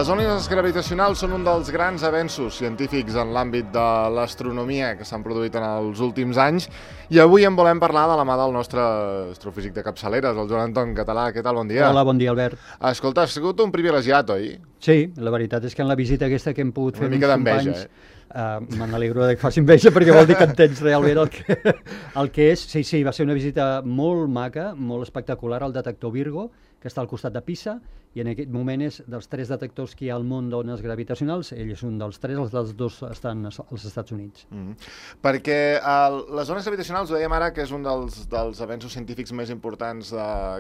Les ones gravitacionals són un dels grans avenços científics en l'àmbit de l'astronomia que s'han produït en els últims anys i avui en volem parlar de la mà del nostre astrofísic de capçaleres, el Joan Anton Català. Què tal? Bon dia. Hola, bon dia, Albert. Escolta, has sigut un privilegiat, oi? Sí, la veritat és que en la visita aquesta que hem pogut fer Una mica d'enveja, me n'alegro que faci enveja perquè vol dir que entens realment el que és. Sí, va ser una visita molt maca, molt espectacular al detector Virgo, que està al costat de Pisa, i en aquest moment és dels 3 detectors que hi ha al món d'ones gravitacionals, ell és un dels 3, els dels 2 estan als Estats Units. Perquè les ones gravitacionals, ho dèiem ara, que és un dels avenços científics més importants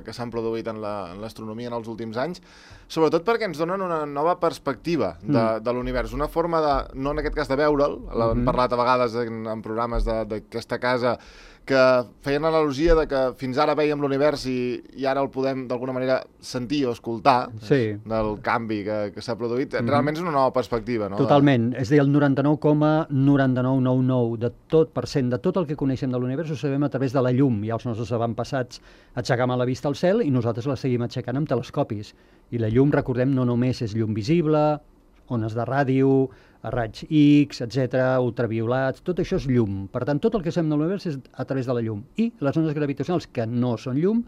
que s'han produït en l'astronomia en els últims anys, sobretot perquè ens donen una nova perspectiva de l'univers, una forma de, no en aquest cas de veure'l, l'hem parlat a vegades en programes d'aquesta casa, que feien analogia de que fins ara veiem l'univers i ara el podem d'alguna manera sentir o escoltar, del canvi que s'ha produït. Realment és una nova perspectiva, no? Totalment. És a dir, el 99,9999% de tot el que coneixem de l'univers ho sabem a través de la llum. Ja els nostres avantpassats aixecaven la vista al cel i nosaltres la seguim aixecant amb telescopis. I la llum, recordem, no només és llum visible, ones de ràdio, raigs X, etc., ultraviolats, tot això és llum. Per tant, tot el que sabem de l'univers és a través de la llum. I les ones gravitacionals, que no són llum,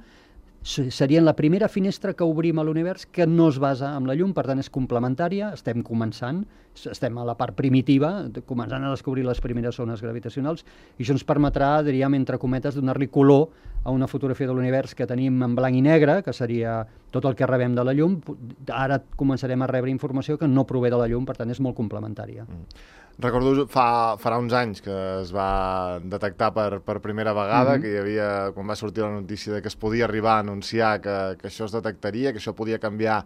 serien la primera finestra que obrim a l'univers que no es basa en la llum, per tant és complementària, estem començant, estem a la part primitiva, començant a descobrir les primeres ones gravitacionals, i això ens permetrà, diríem, entre cometes, donar-li color a una fotografia de l'univers que tenim en blanc i negre, que seria tot el que rebem de la llum. Ara començarem a rebre informació que no prové de la llum, per tant és molt complementària. Recordo farà uns anys que es va detectar per primera vegada, que hi havia, quan va sortir la notícia de que es podia arribar a anunciar que això es detectaria, que això podia canviar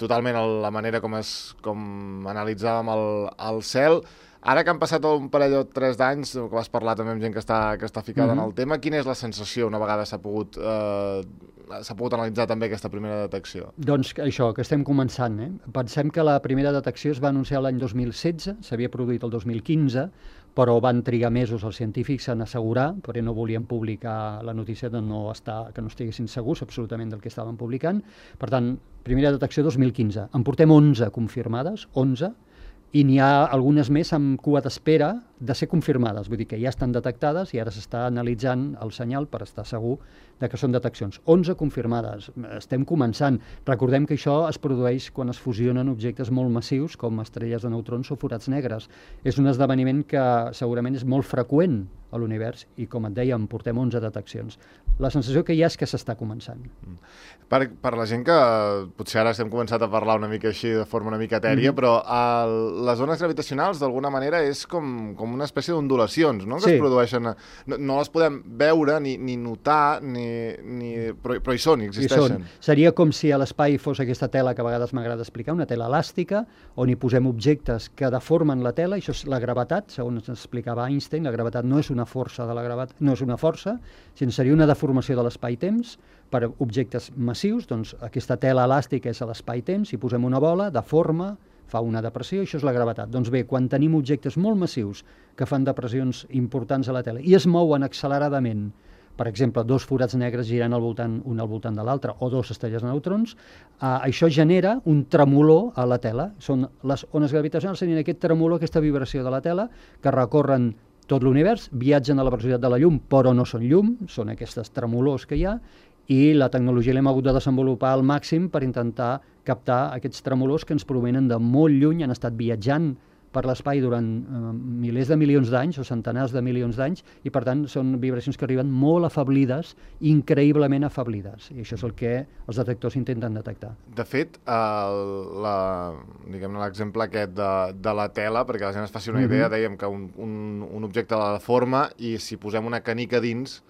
totalment la manera com analitzàvem el cel. Ara que han passat un parell o 3 d'anys, que vas parlar també amb gent que està ficada en el tema, quina és la sensació una vegada s'ha pogut analitzar també aquesta primera detecció? Doncs això, que estem començant. Pensem que la primera detecció es va anunciar l'any 2016, s'havia produït el 2015, però van trigar mesos els científics en assegurar, perquè no volien publicar la notícia que no estiguessin segurs absolutament del que estaven publicant. Per tant, primera detecció 2015. En portem 11 confirmades, 11, i n'hi ha algunes més amb cua d'espera de ser confirmades, vull dir que ja estan detectades i ara s'està analitzant el senyal per estar segur de que són deteccions. 11 confirmades, estem començant. Recordem que això es produeix quan es fusionen objectes molt massius com estrelles de neutrons o forats negres. És un esdeveniment que segurament és molt freqüent a l'univers i, com et deia, en portem 11 deteccions. La sensació que hi ha és que s'està començant. Per la gent que potser ara estem començant a parlar una mica així de forma una mica etèria, però les ones gravitacionals d'alguna manera és com una espècie d'ondulacions, no? Que es produeixen. No les podem veure ni notar, però hi són, hi existeixen. Seria com si a l'espai fos aquesta tela que a vegades m'agrada explicar, una tela elàstica, on hi posem objectes que deformen la tela, això és la gravetat, segons ens explicava Einstein, la gravetat no és una força de la gravetat, no és una força, sinó seria una deformació de l'espai-temps per objectes massius, doncs aquesta tela elàstica és a l'espai-temps, hi posem una bola, deforma, fa una depressió, això és la gravetat. Doncs bé, quan tenim objectes molt massius que fan depressions importants a la tela i es mouen acceleradament, per exemple, 2 forats negres girant un al voltant de l'altre o 2 estrelles de neutrons, això genera un tremolor a la tela. Les ones gravitacionals serien aquest tremolor, aquesta vibració de la tela, que recorren tot l'univers, viatgen a la velocitat de la llum, però no són llum, són aquestes tremolors que hi ha, i la tecnologia l'hem hagut de desenvolupar al màxim per intentar captar aquests tremolors que ens provenen de molt lluny, han estat viatjant per l'espai durant milers de milions d'anys o centenars de milions d'anys i per tant són vibracions que arriben molt afeblides, increïblement afeblides, i això és el que els detectors intenten detectar. De fet, l'exemple aquest de la tela, perquè la gent es faci una idea, dèiem que un objecte la deforma i si posem una canica dins,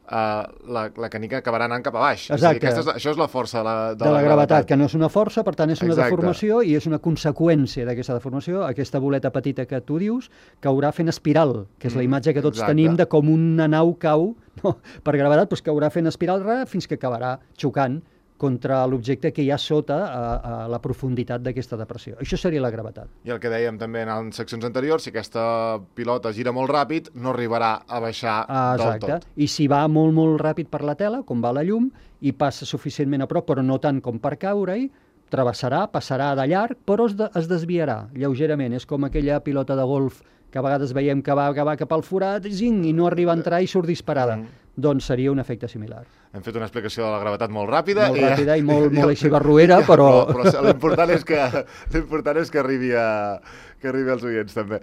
la canica acabarà anant cap a baix. Exacte. Això és la força de la gravetat, que no és una força, per tant és una deformació i és una conseqüència d'aquesta deformació. Aquesta boleta petita que tu dius caurà fent espiral, que és la imatge que tots tenim de com una nau cau per gravetat, doncs caurà fent espiral fins que acabarà xocant contra l'objecte que hi ha sota a la profunditat d'aquesta depressió. Això seria la gravetat. I el que dèiem també en seccions anteriors, si aquesta pilota gira molt ràpid, no arribarà a baixar del tot. I si va molt, molt ràpid per la tela, com va la llum, i passa suficientment a prop, però no tant com per caure-hi, travessarà, passarà de llarg, però es desviarà lleugerament. És com aquella pilota de golf que a vegades veiem que va cap al forat i no arriba a entrar i surt disparada. Doncs seria un efecte similar. Hem fet una explicació de la gravetat molt ràpida. Molt ràpida i molt així barruera, però... Però l'important és que arribi als oients, també.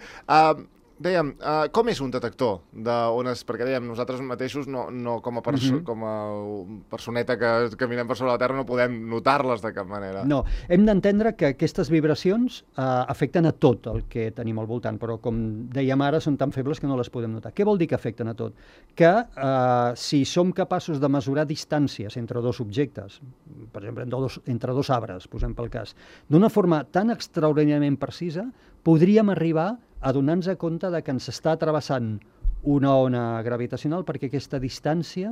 Dèiem, com és un detector d'ones? Perquè dèiem, nosaltres mateixos, no com a personeta que caminem per sobre la Terra, no podem notar-les de cap manera. No, hem d'entendre que aquestes vibracions afecten a tot el que tenim al voltant, però com dèiem ara, són tan febles que no les podem notar. Què vol dir que afecten a tot? Que si som capaços de mesurar distàncies entre dos objectes, per exemple, entre dos arbres, posem pel cas, d'una forma tan extraordinàriament precisa, podríem arribar a donar-nos compte de que ens està travessant una ona gravitacional perquè aquesta distància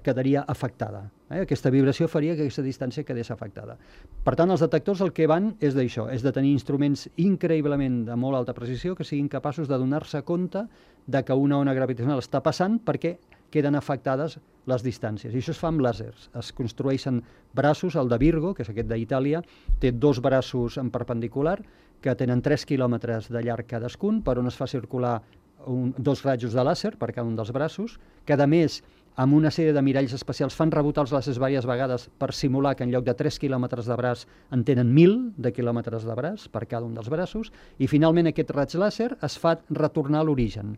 quedaria afectada. Aquesta vibració faria que aquesta distància quedés afectada. Per tant, els detectors el que van és d'això, és de tenir instruments increïblement de molt alta precisió que siguin capaços de donar-se compte de que una ona gravitacional està passant perquè queden afectades les distàncies. I això es fa amb làsers. Es construeixen braços, el de Virgo, que és aquest d'Itàlia, té 2 braços en perpendicular que tenen 3 quilòmetres de llarg cadascun, per on es fa circular 2 rajos de làser per cada un dels braços, que a més, amb una sèrie de miralls especials, fan rebotar els làsers diverses vegades per simular que en lloc de 3 quilòmetres de braç en tenen 1.000 de quilòmetres de braç per cada un dels braços, i finalment aquest raig làser es fa retornar a l'origen.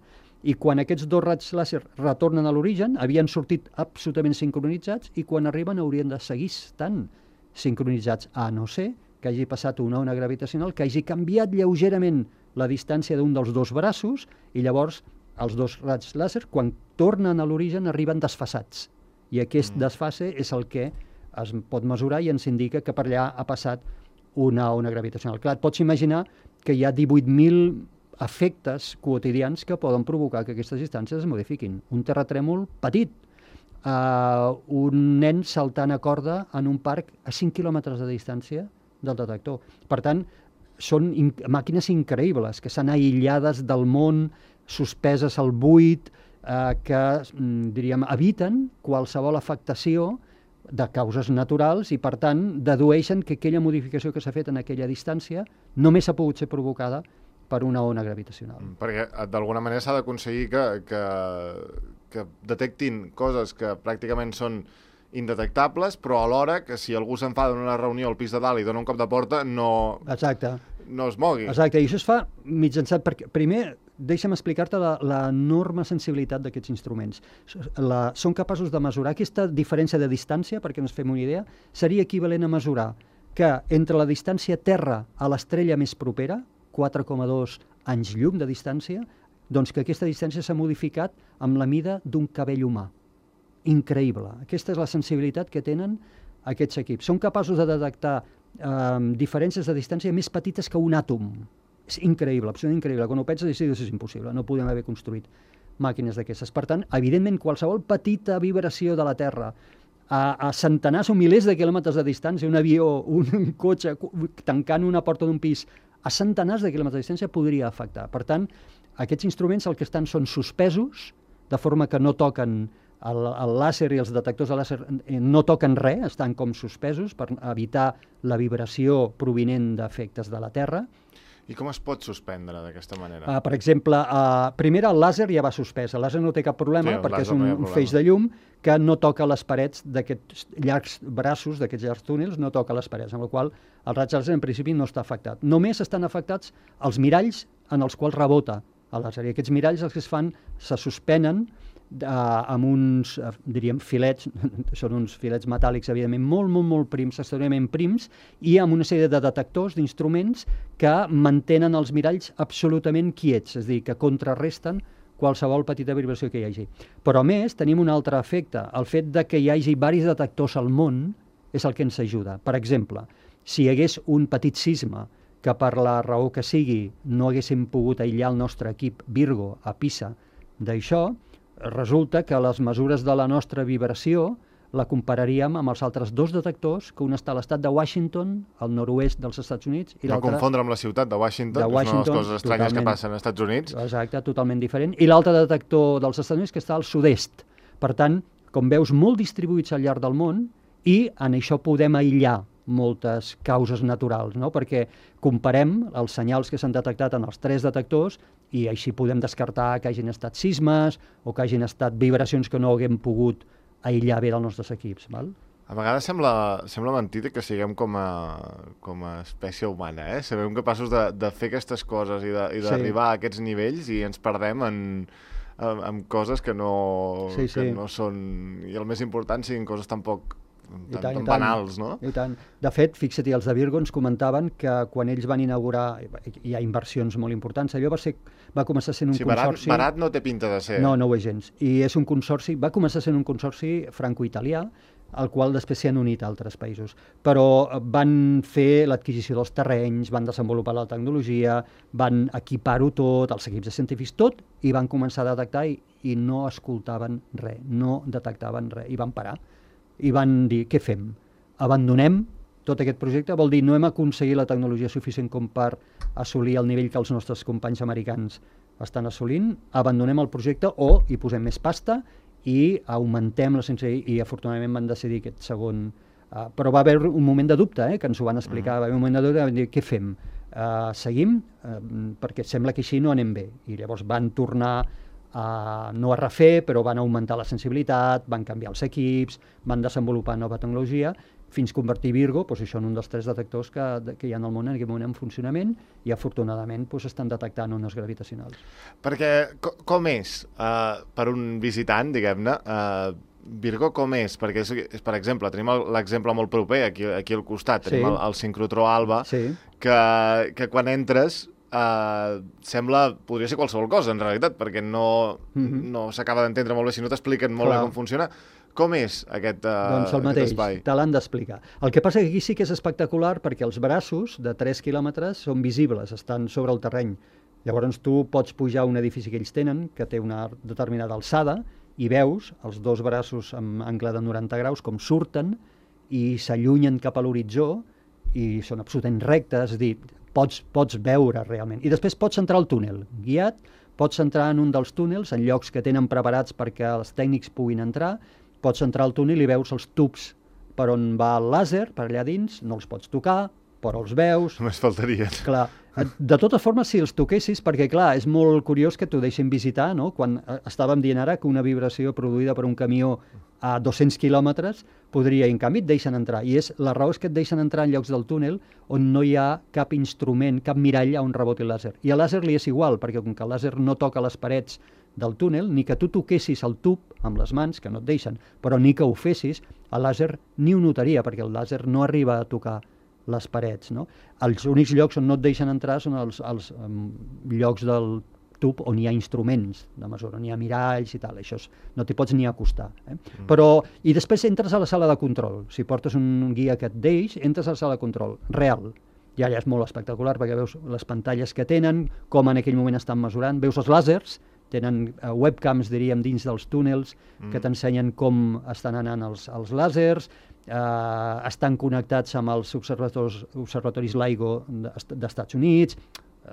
I quan aquests 2 raigs làser retornen a l'origen, havien sortit absolutament sincronitzats i quan arriben haurien de seguir estant sincronitzats, a no ser que hagi passat una ona gravitacional que hagi canviat lleugerament la distància d'un dels 2 braços i llavors els 2 raigs làser, quan tornen a l'origen, arriben desfasats. I aquest desfase és el que es pot mesurar i ens indica que per allà ha passat una ona gravitacional. Clar, et pots imaginar que hi ha 18.000 efectes quotidians que poden provocar que aquestes distàncies es modifiquin. Un terratrèmol petit, un nen saltant a corda en un parc a 5 quilòmetres de distància del detector. Per tant, són màquines increïbles, que estan aïllades del món, suspeses al buit, que, diríem, eviten qualsevol afectació de causes naturals i, per tant, dedueixen que aquella modificació que s'ha fet en aquella distància només ha pogut ser provocada per una ona gravitacional. Perquè d'alguna manera s'ha d'aconseguir que detectin coses que pràcticament són indetectables, però alhora que si algú s'enfada en una reunió al pis de dalt i dona un cop de porta, no es mogui. Exacte, i això es fa mitjançant... Primer, deixa'm explicar-te l'enorme sensibilitat d'aquests instruments. Són capaços de mesurar aquesta diferència de distància, perquè ens fem una idea, seria equivalent a mesurar que entre la distància Terra a l'estrella més propera, 4,2 anys llum de distància, doncs que aquesta distància s'ha modificat amb la mida d'un cabell humà. Increïble. Aquesta és la sensibilitat que tenen aquests equips. Són capaços de detectar diferències de distància més petites que un àtom. És increïble, absolutament increïble. Quan ho penses, és impossible. No podem haver construït màquines d'aquestes. Per tant, evidentment, qualsevol petita vibració de la Terra a centenars o milers de quilòmetres de distància, un avió, un cotxe tancant una porta d'un pis a centenars de quilòmetres de distància podria afectar. Per tant, aquests instruments el que estan són suspesos, de forma que no toquen el làser i els detectors de làser no toquen res, estan com suspesos per evitar la vibració provinent d'efectes de la Terra. I com es pot suspendre d'aquesta manera? Per exemple, primer el làser ja va suspès. El làser no té cap problema perquè és un feix de llum que no toca les parets d'aquests llargs braços, d'aquests llargs túnels, no toca les parets, amb la qual el raig làser en principi no està afectat. Només estan afectats els miralls en els quals rebota el làser. I aquests miralls els que es fan se suspenen amb uns, diríem, filets, són uns filets metàl·lics, evidentment, molt prims, extraordinàriament prims, i amb una sèrie de detectors, d'instruments, que mantenen els miralls absolutament quiets, és a dir, que contrarresten qualsevol petita vibració que hi hagi. Però, a més, tenim un altre efecte. El fet de que hi hagi diversos detectors al món és el que ens ajuda. Per exemple, si hi hagués un petit sisme que per la raó que sigui no haguéssim pogut aïllar el nostre equip Virgo a Pisa d'això, resulta que les mesures de la nostra vibració la compararíem amb els altres 2 detectors, que un està a l'estat de Washington, al nord-oest dels Estats Units, i l'altre... No confondre amb la ciutat de Washington, que és una de les coses estranyes que passen als Estats Units. Exacte, totalment diferent. I l'altre detector dels Estats Units que està al sud-est. Per tant, com veus, molt distribuïts al llarg del món, i en això podem aïllar moltes causes naturals, no? Perquè comparem els senyals que s'han detectat en els 3 detectors i així podem descartar que hagin estat sismes o que hagin estat vibracions que no haguem pogut aïllar bé dels nostres equips. Val? A vegades sembla mentida que siguem com a espècie humana, eh? Sabem capaços de fer aquestes coses i d'arribar a aquests nivells i ens perdem en coses que no són... I el més important siguin coses tan banals, no? I tant. De fet, fixa't, els de Virgo ens comentaven que quan ells van inaugurar, hi ha inversions molt importants, allò va començar sent un consorci... Barat no té pinta de ser. No ho és gens. I és un consorci, va començar sent un consorci franco-italià, al qual després s'hi han unit altres països. Però van fer l'adquisició dels terrenys, van desenvolupar la tecnologia, van equipar-ho tot, els equips de científics, tot, i van començar a detectar i no escoltaven res, no detectaven res, i van parar. I van dir, què fem? Abandonem tot aquest projecte? Vol dir, no hem aconseguit la tecnologia suficient com per assolir el nivell que els nostres companys americans estan assolint, abandonem el projecte o hi posem més pasta i augmentem la sensació, i afortunadament van decidir aquest segon... però va haver un moment de dubte, que ens ho van explicar, va haver un moment de dubte, van dir, què fem? Seguim? Perquè sembla que així no anem bé. I llavors van tornar no a refer, però van augmentar la sensibilitat, van canviar els equips, van desenvolupar nova tecnologia, fins convertir Virgo això en un dels 3 detectors que hi ha al món en aquest moment en funcionament i afortunadament estan detectant ones gravitacionals. Perquè com és per un visitant, diguem-ne, Virgo com és? Perquè, per exemple, tenim l'exemple molt proper aquí al costat, tenim el sincrotró Alba, que quan entres podria ser qualsevol cosa, en realitat, perquè no s'acaba d'entendre molt bé si no t'expliquen molt bé com funciona. Com és aquest espai? Doncs el mateix, te l'han d'explicar. El que passa que aquí sí que és espectacular perquè els braços de 3 quilòmetres són visibles, estan sobre el terreny. Llavors tu pots pujar a un edifici que ells tenen, que té una determinada alçada, i veus els 2 braços amb angle de 90 graus com surten i s'allunyen cap a l'horitzó i són absolutament rectes, és a dir, pots veure realment. I després pots entrar al túnel, guiat, pots entrar en un dels túnels, en llocs que tenen preparats perquè els tècnics puguin entrar, pots entrar al túnel i veus els tubs per on va el làser, per allà dins, no els pots tocar, però els veus... Només faltaria. Clar. De totes formes, si els toquessis, perquè clar, és molt curiós que t'ho deixin visitar, no? Quan estàvem dient ara que una vibració produïda per un camió a 200 quilòmetres podria, en canvi, et deixen entrar. I la raó és que et deixen entrar en llocs del túnel on no hi ha cap instrument, cap mirall on reboti el làser. I al làser li és igual, perquè com que el làser no toca les parets del túnel, ni que tu toquessis el tub amb les mans, que no et deixen, però ni que ho fessis, el làser ni ho notaria, perquè el làser no arriba a tocar les parets. No? Els únics llocs on no et deixen entrar són els llocs del tub on hi ha instruments de mesura, on hi ha miralls i tal, això no t'hi pots ni acostar. Però, i després entres a la sala de control, si portes un guia que et deix, entres a la sala de control, real. I allà és molt espectacular perquè veus les pantalles que tenen, com en aquell moment estan mesurant, veus els làsers, tenen webcams, diríem, dins dels túnels que t'ensenyen com estan anant els làsers, estan connectats amb els observatoris LIGO d'Estats Units,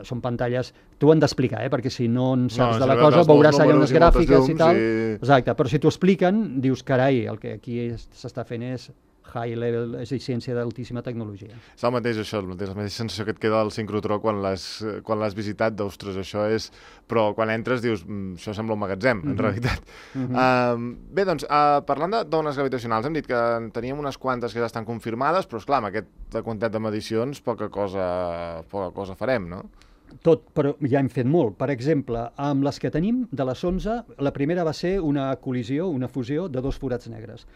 són pantalles... Tu ho han d'explicar, perquè si no en saps de la cosa veuràs allà unes gràfiques i tal. Exacte, però si t'ho expliquen, dius, carai, el que aquí s'està fent és high level, és ciència d'altíssima tecnologia. És el mateix això, la mateixa sensació que et queda al sincrotró quan l'has visitat, d'ostres, això és... Però quan entres dius, això sembla un magatzem, en realitat. Bé, doncs, parlant d'ones gravitacionals, hem dit que teníem unes quantes que ja estan confirmades, però, esclar, amb aquesta quantitat de medicions poca cosa farem, no? Tot, però ja hem fet molt. Per exemple, amb les que tenim, de les 11, la primera va ser una col·lisió, una fusió de 2 forats negres.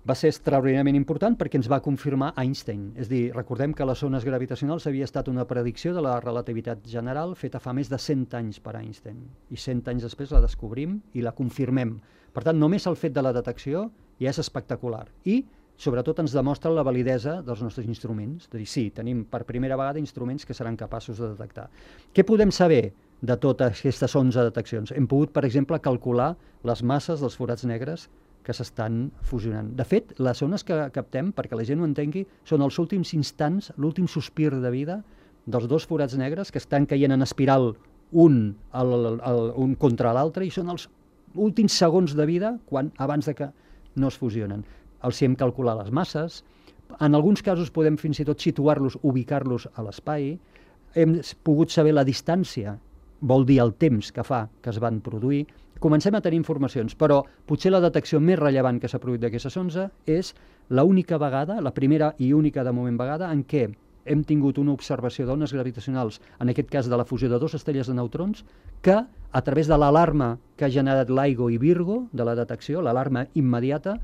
Va ser extraordinàriament important perquè ens va confirmar Einstein. És a dir, recordem que les ones gravitacionals havia estat una predicció de la relativitat general feta fa més de 100 anys per Einstein. I 100 anys després la descobrim i la confirmem. Per tant, només el fet de la detecció ja és espectacular. I, sobretot, ens demostra la validesa dels nostres instruments. És a dir, sí, tenim per primera vegada instruments que seran capaços de detectar. Què podem saber de totes aquestes 11 deteccions? Hem pogut, per exemple, calcular les masses dels forats negres que s'estan fusionant. De fet, les ones que captem, perquè la gent ho entengui, són els últims instants, l'últim sospir de vida dels 2 forats negres que estan caient en espiral un contra l'altre i són els últims segons de vida abans de que no es fusionen. Els hi hem calculat les masses, En alguns casos podem fins i tot situar-los, ubicar-los a l'espai. Hem pogut saber la distància, vol dir el temps que fa que es van produir. Comencem a tenir informacions, però potser la detecció més rellevant que s'ha produït d'aquesta sonda és l'única vegada, la primera i única de moment vegada, en què hem tingut una observació d'ones gravitacionals, en aquest cas de la fusió de dues estrelles de neutrons, que a través de l'alarma que ha generat LIGO i Virgo, de la detecció, l'alarma immediata,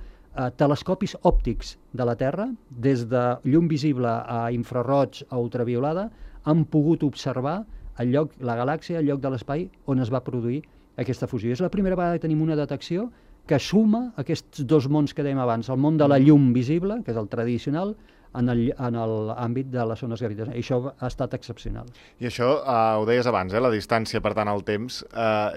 telescopis òptics de la Terra, des de llum visible a infraroig a ultraviolada, han pogut observar el lloc, la galàxia, el lloc de l'espai on es va produir aquesta fusió. És la primera vegada que tenim una detecció que suma aquests dos mons que dèiem abans, el món de la llum visible, que és el tradicional, en l'àmbit de les ones gravitacionals. I això ha estat excepcional. I això, ho deies abans, la distància, per tant, el temps,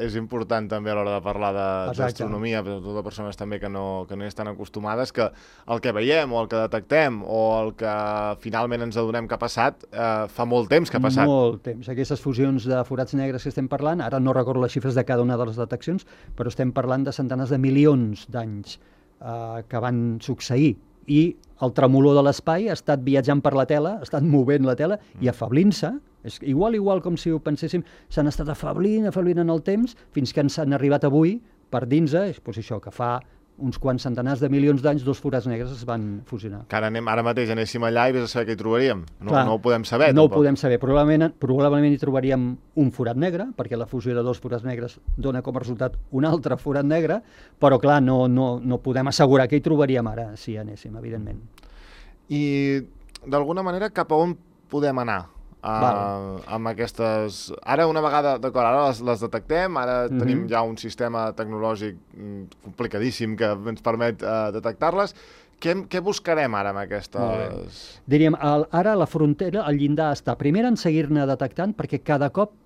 és important també a l'hora de parlar d'astronomia, per a totes les persones també que no hi estan acostumades, que el que veiem o el que detectem o el que finalment ens adonem que ha passat, fa molt temps que ha passat. Molt temps. Aquestes fusions de forats negres que estem parlant, ara no recordo les xifres de cada una de les deteccions, però estem parlant de centenars de milions d'anys que van succeir. I el tremolor de l'espai ha estat viatjant per la tela, ha estat movent la tela i afablint-se. És igual com si ho penséssim, s'han estat afablint en el temps, fins que ens han arribat avui per dins, doncs això, que fa uns quants centenars de milions d'anys, dos forats negres es van fusionar. Que ara mateix anéssim allà i vés a saber què hi trobaríem. No ho podem saber. No ho podem saber. Probablement hi trobaríem un forat negre, perquè la fusió de dos forats negres dona com a resultat un altre forat negre, però clar, no podem assegurar que hi trobaríem ara, si anéssim, evidentment. I d'alguna manera cap a on podem anar? Amb aquestes... Ara, una vegada, d'acord, ara les detectem, ara tenim ja un sistema tecnològic complicadíssim que ens permet detectar-les. Què buscarem ara amb aquestes...? Diríem, ara la frontera, el llindar està primer en seguir-ne detectant, perquè cada cop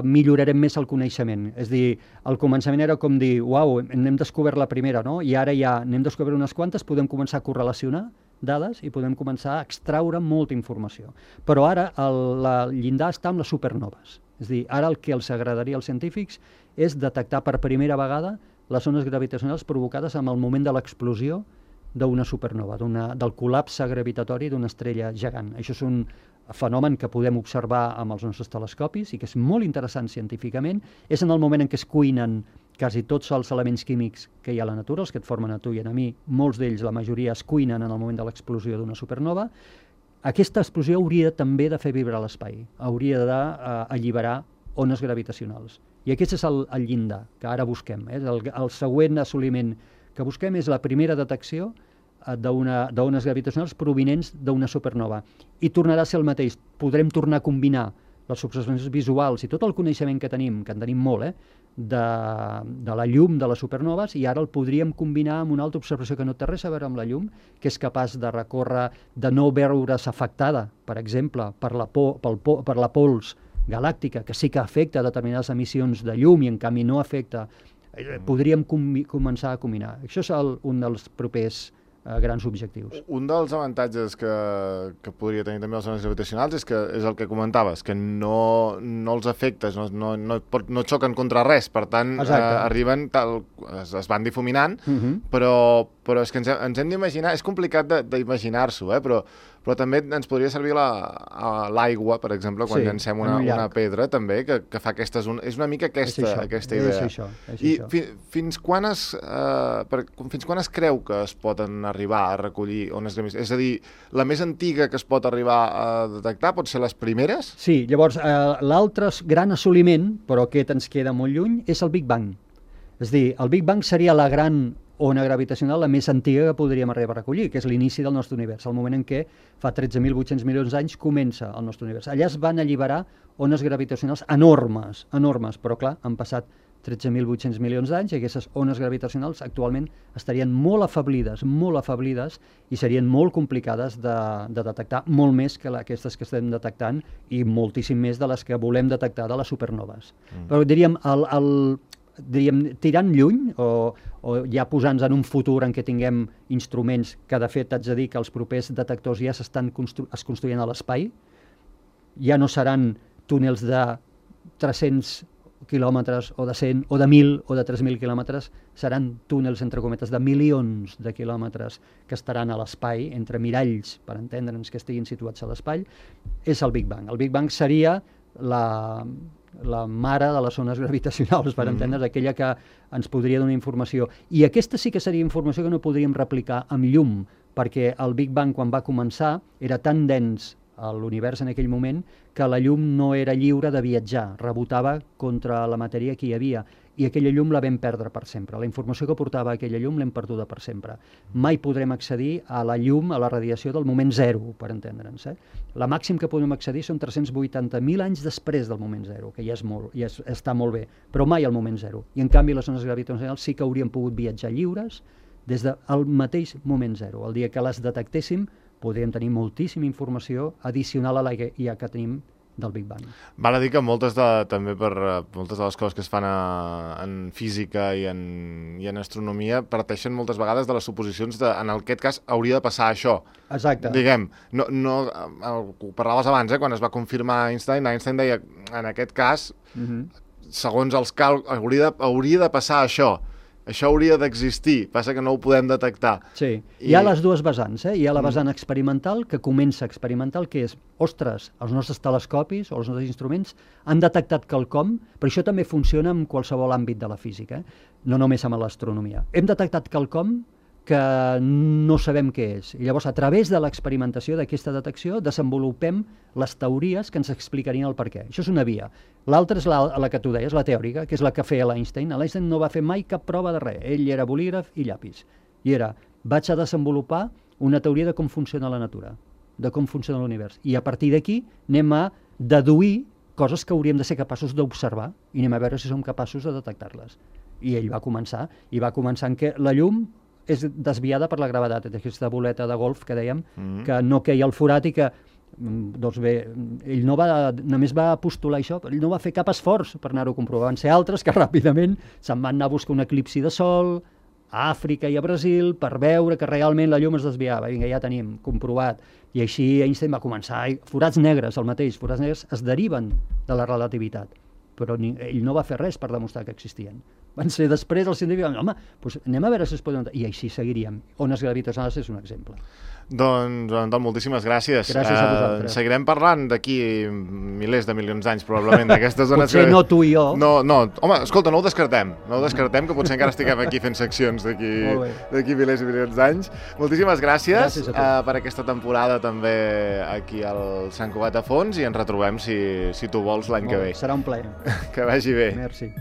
millorarem més el coneixement. És a dir, al començament era com dir, uau, n'hem descobert la primera, no? I ara ja n'hem descobert unes quantes, podem començar a correlacionar dades i podem començar a extraure molta informació. Però ara el llindar està amb les supernoves. És a dir, ara el que els agradaria als científics és detectar per primera vegada les ones gravitacionals provocades amb el moment de l'explosió d'una supernova, del col·lapse gravitatori d'una estrella gegant. Això és un fenomen que podem observar amb els nostres telescopis i que és molt interessant científicament. És en el moment en què es cuinen quasi tots els elements químics que hi ha a la natura, els que et formen a tu i a mi, molts d'ells, la majoria, es cuinen en el moment de l'explosió d'una supernova. Aquesta explosió hauria també de fer vibrar l'espai, hauria d'alliberar ones gravitacionals. I aquest és el llindar que ara busquem. El següent assoliment que busquem és la primera detecció d'ones gravitacionals provinents d'una supernova. I tornarà a ser el mateix. Podrem tornar a combinar les observacions visuals i tot el coneixement que en tenim molt, de la llum de les supernoves, i ara el podríem combinar amb una altra observació que no té res a veure amb la llum, que és capaç de recórrer, de no veure's afectada, per exemple, per la pols galàctica, que sí que afecta determinades emissions de llum i en canvi no afecta. Podríem començar a combinar. Això és un dels propers grans objectius. Un dels avantatges que podria tenir també les ones gravitacionals és el que comentaves, que no els efectes no xoquen contra res, per tant arriben, es van difuminant, però és que ens hem d'imaginar, és complicat d'imaginar-s'ho, però també ens podria servir l'aigua, per exemple, quan llancem una pedra, també, que fa aquestes... És una mica aquesta idea. És això. I fins quan es creu que es poden arribar a recollir ones gravitacionals? És a dir, la més antiga que es pot arribar a detectar pot ser les primeres? Sí, llavors l'altre gran assoliment, però aquest ens queda molt lluny, és el Big Bang. És a dir, el Big Bang seria la gran ona gravitacional la més antiga que podríem arribar a recollir, que és l'inici del nostre univers, el moment en què fa 13.800 milions d'anys comença el nostre univers. Allà es van alliberar ones gravitacionals enormes, però clar, han passat 13.800 milions d'anys i aquestes ones gravitacionals actualment estarien molt afeblides i serien molt complicades de detectar, molt més que aquestes que estem detectant i moltíssim més de les que volem detectar de les supernoves. Però diríem, tirant lluny o ja posant-nos en un futur en què tinguem instruments que de fet haig de dir que els propers detectors ja es construïen a l'espai, ja no seran túnels de 300 quilòmetres, o de 100, o de 1.000, o de 3.000 quilòmetres, seran túnels, entre cometes, de milions de quilòmetres que estaran a l'espai, entre miralls, per entendre'ns, que estiguin situats a l'espai, és el Big Bang. El Big Bang seria la mare de les ones gravitacionals, per entendre's, aquella que ens podria donar informació. I aquesta sí que seria informació que no podríem replicar amb llum, perquè el Big Bang, quan va començar, era tan dens a l'univers en aquell moment que la llum no era lliure de viatjar, rebotava contra la matèria que hi havia, i aquella llum la vam perdre per sempre. La informació que portava aquella llum l'hem perduda per sempre. Mai podrem accedir a la llum, a la radiació del moment zero, per entendre'ns. La màxim que podem accedir són 380.000 anys després del moment zero, que ja és molt, està molt bé, però mai al moment zero. I en canvi les ones gravitacionals sí que haurien pogut viatjar lliures des del mateix moment zero. El dia que les detectéssim podríem tenir moltíssima informació addicional a la que ja que tenim del Big Bang. Val a dir que moltes de les coses que es fan en física i en astronomia parteixen moltes vegades de les suposicions de, en aquest cas, hauria de passar això. Exacte. Diguem, ho parlaves abans, quan es va confirmar Einstein deia, en aquest cas, segons els càlculs, hauria de passar això. Això hauria d'existir, passa que no ho podem detectar. Sí, hi ha les dues vessants. Hi ha la vessant experimental, que comença experimental, que és, ostres, els nostres telescopis o els nostres instruments han detectat quelcom, però això també funciona en qualsevol àmbit de la física, no només amb l'astronomia. Hem detectat quelcom que no sabem què és. I llavors, a través de l'experimentació d'aquesta detecció, desenvolupem les teories que ens explicarien el perquè. Això és una via. L'altra és la que tu deies, la teòrica, que és la que feia l'Einstein. L'Einstein no va fer mai cap prova de res. Ell era bolígraf i llapis. I era, vaig a desenvolupar una teoria de com funciona la natura, de com funciona l'univers. I a partir d'aquí anem a deduir coses que hauríem de ser capaços d'observar i anem a veure si som capaços de detectar-les. I ell va començar en què la llum és desviada per la gravetat, aquesta boleta de golf que dèiem, que no queia al forat i que, doncs bé, ell només va postular això, però ell no va fer cap esforç per anar-ho a comprovar. Van ser altres que ràpidament se'n van anar a buscar un eclipsi de sol a Àfrica i a Brasil per veure que realment la llum es desviava. Vinga, ja tenim comprovat. I així Einstein va començar. Forats negres, el mateix, forats negres es deriven de la relativitat, però ell no va fer res per demostrar que existien. Van ser després els científics, home, doncs anem a veure si es poden... I així seguiríem. Ones gravitacionals és un exemple. Doncs, moltíssimes gràcies. Gràcies a vosaltres. Seguirem parlant d'aquí milers de milions d'anys, probablement, d'aquestes zones... Potser no tu i jo. No, home, escolta, no ho descartem, que potser encara estiguem aquí fent seccions d'aquí milers i milions d'anys. Moltíssimes gràcies per aquesta temporada també aquí al Sant Cugat a Fons i ens retrobem, si tu vols, l'any que ve. Serà un plaer. Que vagi bé. Merci.